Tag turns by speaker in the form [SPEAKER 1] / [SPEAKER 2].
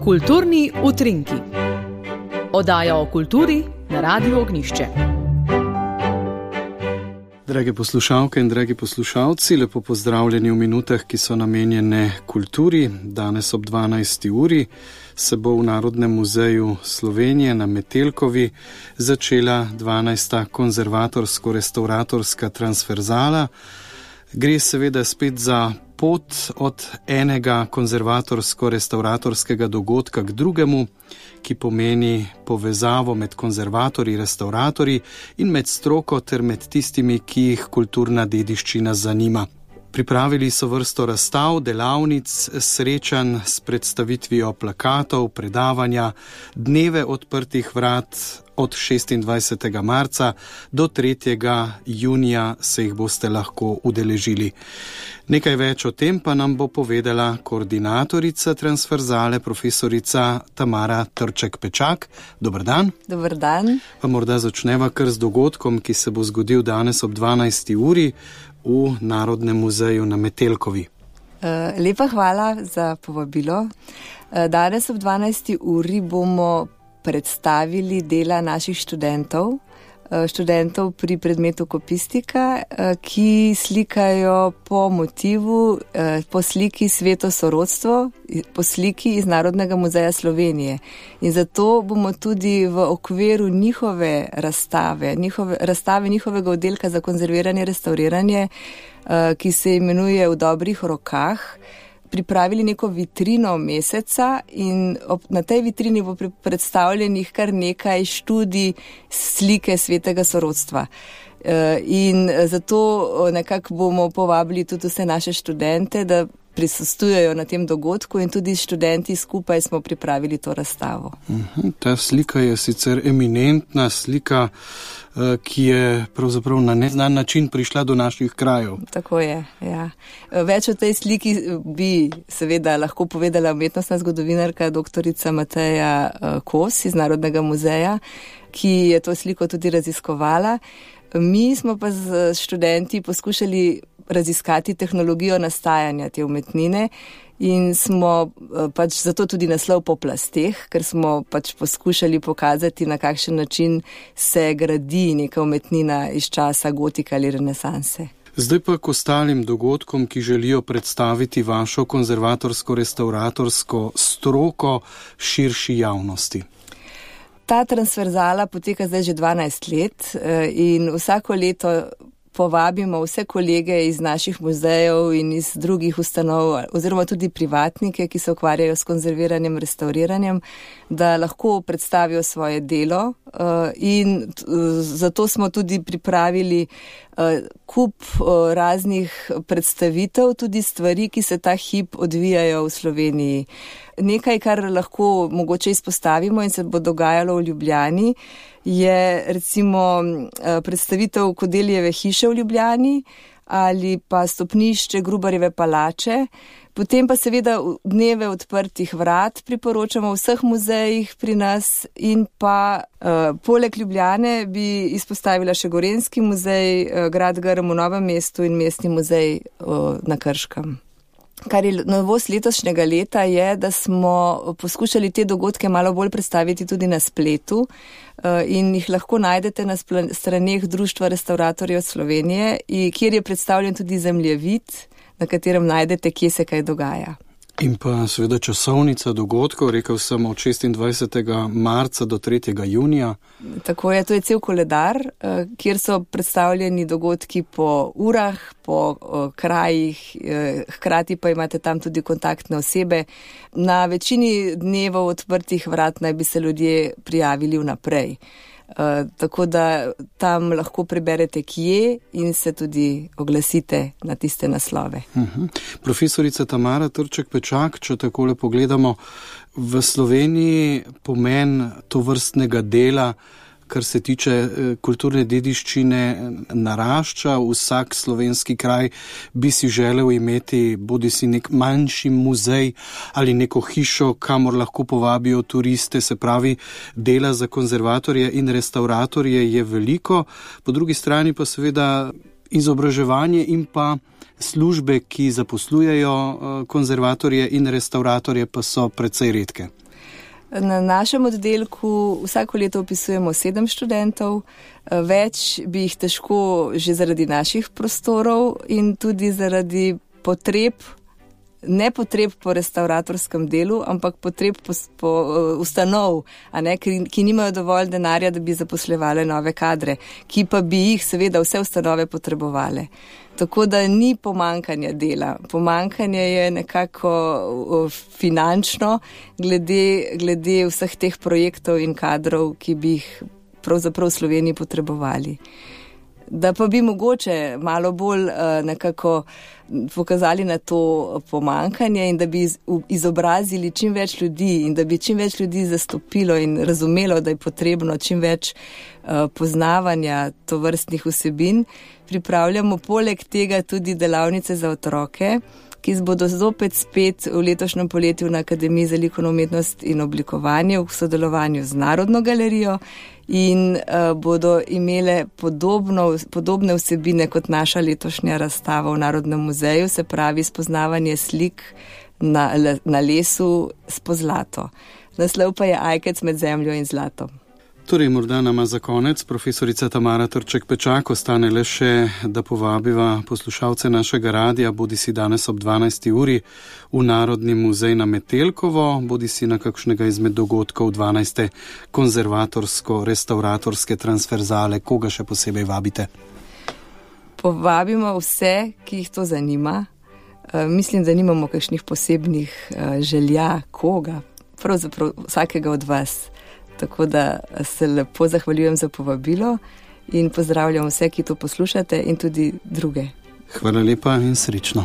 [SPEAKER 1] Kulturni utrinki. Oddaja o kulturi na Radiu Ognjišče.
[SPEAKER 2] Drage poslušalke in dragi poslušalci, lepo pozdravljeni v minutah, ki so namenjene kulturi. Danes ob 12. uri se bo v Narodnem muzeju Slovenije na Metelkovi začela 12. konzervatorsko-restauratorska transverzala. Gre seveda spet za pot od enega konzervatorsko-restauratorskega dogodka k drugemu, ki pomeni povezavo med konzervatorji, restauratorji in med stroko ter med tistimi, ki jih kulturna dediščina zanima. Pripravili so vrsto razstav, delavnic, srečanj s predstavitvijo plakatov, predavanja, dneve odprtih vrat. Od 26. marca do 3. junija se jih boste lahko udeležili. Nekaj več o tem pa nam bo povedala koordinatorica transverzale, profesorica Tamara Trček-Pečak. Dober dan.
[SPEAKER 3] Dober dan.
[SPEAKER 2] Pa morda začneva kar z dogodkom, ki se bo zgodil danes ob 12. uri v Narodnem muzeju na Metelkovi.
[SPEAKER 3] Lepa hvala za povabilo. Danes ob 12. uri bomo predstavili dela naših študentov pri predmetu kopistika, ki slikajo po motivu, po sliki Sveto sorodstvo, po sliki iz Narodnega muzeja Slovenije. In zato bomo tudi v okviru njihove razstave njihovega oddelka za konzerviranje, restauriranje, ki se imenuje V dobrih rokah, pripravili neko vitrino meseca in na tej vitrini bo predstavljenih kar nekaj študij slike Svetega sorodstva. In zato nekako bomo povabili tudi vse naše študente, da prisostvujejo na tem dogodku in tudi študenti skupaj smo pripravili to razstavo.
[SPEAKER 2] Ta slika je sicer eminentna slika, ki je pravzaprav na neznan način prišla do naših krajev.
[SPEAKER 3] Tako je, ja. Več o tej sliki bi seveda lahko povedala umetnostna zgodovinarka doktorica Mateja Kos iz Narodnega muzeja, ki je to sliko tudi raziskovala. Mi smo pa z študenti poskušali raziskati tehnologijo nastajanja te umetnine in smo zato tudi naslov Po plasteh, ker smo poskušali pokazati, na kakšen način se gradi neka umetnina iz časa gotike ali renesanse.
[SPEAKER 2] Zdaj pa k ostalim dogodkom, ki želijo predstaviti vašo konzervatorsko-restauratorsko stroko širši javnosti.
[SPEAKER 3] Ta transverzala poteka zdaj že 12 let in vsako leto povabimo vse kolege iz naših muzejev in iz drugih ustanov oziroma tudi privatnike, ki se ukvarjajo s konzerviranjem, restauriranjem, da lahko predstavijo svoje delo in zato smo tudi pripravili kup raznih predstavitev, tudi stvari, ki se ta hip odvijajo v Sloveniji. Nekaj, kar lahko mogoče izpostavimo in se bo dogajalo v Ljubljani, je recimo predstavitev Kodelijeve hiše v Ljubljani ali pa stopnišče Grubarjeve palače. Potem pa seveda dneve odprtih vrat priporočamo v vseh muzejih pri nas in pa poleg Ljubljane bi izpostavila še Gorenjski muzej, Grad Grm v Novem mestu in Mestni muzej na Krškem. Kar je novost letošnjega leta je, da smo poskušali te dogodke malo bolj predstaviti tudi na spletu in jih lahko najdete na straneh Društva restauratorjev Slovenije, kjer je predstavljen tudi zemljevid, na katerem najdete, kje se kaj dogaja.
[SPEAKER 2] In pa seveda časovnica dogodkov, rekel sem od 26. marca do 3. junija.
[SPEAKER 3] Tako je, to je cel koledar, kjer so predstavljeni dogodki po urah, po krajih, hkrati pa imate tam tudi kontaktne osebe. Na večini dnevov odprtih vrat naj bi se ljudje prijavili vnaprej. Tako da tam lahko preberete kje in se tudi oglasite na tiste naslove.
[SPEAKER 2] Profesorica Tamara Trček-Pečak, če takole pogledamo, v Sloveniji pomen tovrstnega dela, kar se tiče kulturne dediščine, narašča. Vsak slovenski kraj bi si želel imeti bodisi nek manjši muzej ali neko hišo, kamor lahko povabijo turiste, se pravi, dela za konzervatorje in restauratorje je veliko, po drugi strani pa seveda izobraževanje in pa službe, ki zaposlujejo konzervatorje in restauratorje, pa so precej redke.
[SPEAKER 3] Na našem oddelku vsako leto upisujemo 7 študentov, več bi jih težko že zaradi naših prostorov in tudi zaradi ne potreb po restauratorskem delu, ampak potreb po ustanov, ki nimajo dovolj denarja, da bi zaposlevali nove kadre, ki pa bi jih seveda vse ustanove potrebovali. Tako da ni pomankanja dela. Pomankanje je nekako finančno glede vseh teh projektov in kadrov, ki bi jih pravzaprav v Sloveniji potrebovali. Da pa bi mogoče malo bolj nekako pokazali na to pomankanje in da bi izobrazili čim več ljudi in da bi čim več ljudi zastopilo in razumelo, da je potrebno čim več poznavanja tovrstnih vsebin. Pripravljamo poleg tega tudi delavnice za otroke, ki bodo zopet spet v letošnjem poletju na Akademiji za likovno umetnost in oblikovanje v sodelovanju z Narodno galerijo in bodo imele podobne vsebine kot naša letošnja razstava v Narodnem muzeju, se pravi spoznavanje slik na lesu s pozlato. Naslov pa je Ajkec med zemljo in zlatom.
[SPEAKER 2] Torej, morda nama za konec profesorica Tamara Trček-Pečak ostane le še, da povabiva poslušalce našega radia, bodi si danes ob 12. uri v Narodni muzej na Metelkovo, bodi si na kakšnega izmed dogodkov 12. konzervatorsko-restauratorske transverzale. Koga še posebej vabite?
[SPEAKER 3] Povabimo vse, ki jih to zanima. Mislim, da nimamo kakšnih posebnih želja koga, pravzaprav vsakega od vas. Tako da se lepo zahvaljujem za povabilo in pozdravljam vse, ki to poslušate in tudi druge.
[SPEAKER 2] Hvala lepa in srečno.